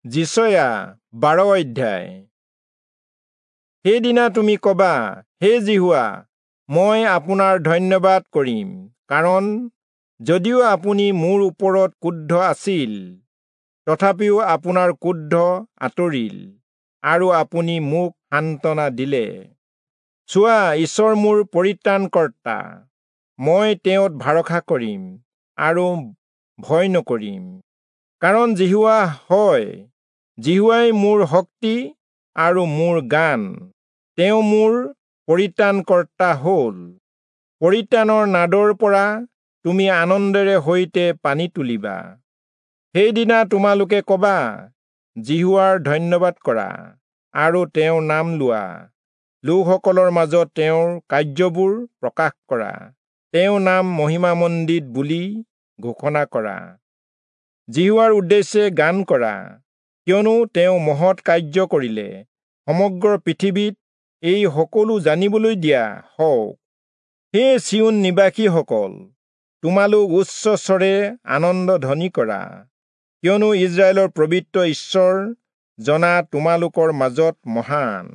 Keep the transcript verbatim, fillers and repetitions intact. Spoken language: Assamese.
যিচয়া বাৰ অধ্যায়। সেইদিনা তুমি কবা, হে যিহোৱা, মই আপোনাৰ ধন্যবাদ কৰিম, কাৰণ যদিও আপুনি মোৰ ওপৰত ক্ৰুদ্ধ আছিল, তথাপিও আপোনাৰ ক্ৰোধ আঁতৰিল আৰু আপুনি মোক সান্তনা দিলে। চোৱা, ঈশ্বৰ মোৰ পৰিত্ৰাণকৰ্তা, মই তেওঁত ভৰসা কৰিম আৰু ভয় নকৰিম, কাৰণ যিহোৱা হয়, যিহোৱাই মোৰ শক্তি আৰু মোৰ গান, তেওঁ মোৰ পৰিত্ৰাণকৰ্তা হ'ল। পৰিত্ৰাণৰ নাদৰ পৰা তুমি আনন্দেৰে সৈতে পানী তুলিবা। সেইদিনা তোমালোকে কবা, যিহোৱাৰ ধন্যবাদ কৰা আৰু তেওঁৰ নাম লোৱা, লোকসকলৰ মাজত তেওঁৰ কাৰ্যবোৰ প্ৰকাশ কৰা, তেওঁৰ নাম মহিমামণ্ডিত বুলি ঘোষণা কৰা। যিহোৱাৰ উদ্দেশ্যে গান কৰা, কিয়নো তেওঁ মহৎ কাৰ্য কৰিলে, সমগ্ৰ পৃথিৱীত এই সকলো জানিবলৈ দিয়া হওক। হে চিয়োন নিবাসীসকল, তোমালোক উচ্চ স্বৰে আনন্দ ধ্বনি কৰা, কিয়নো ইস্ৰায়েলৰ পবিত্ৰ ঈশ্বৰ জনা তোমালোকৰ মাজত মহান।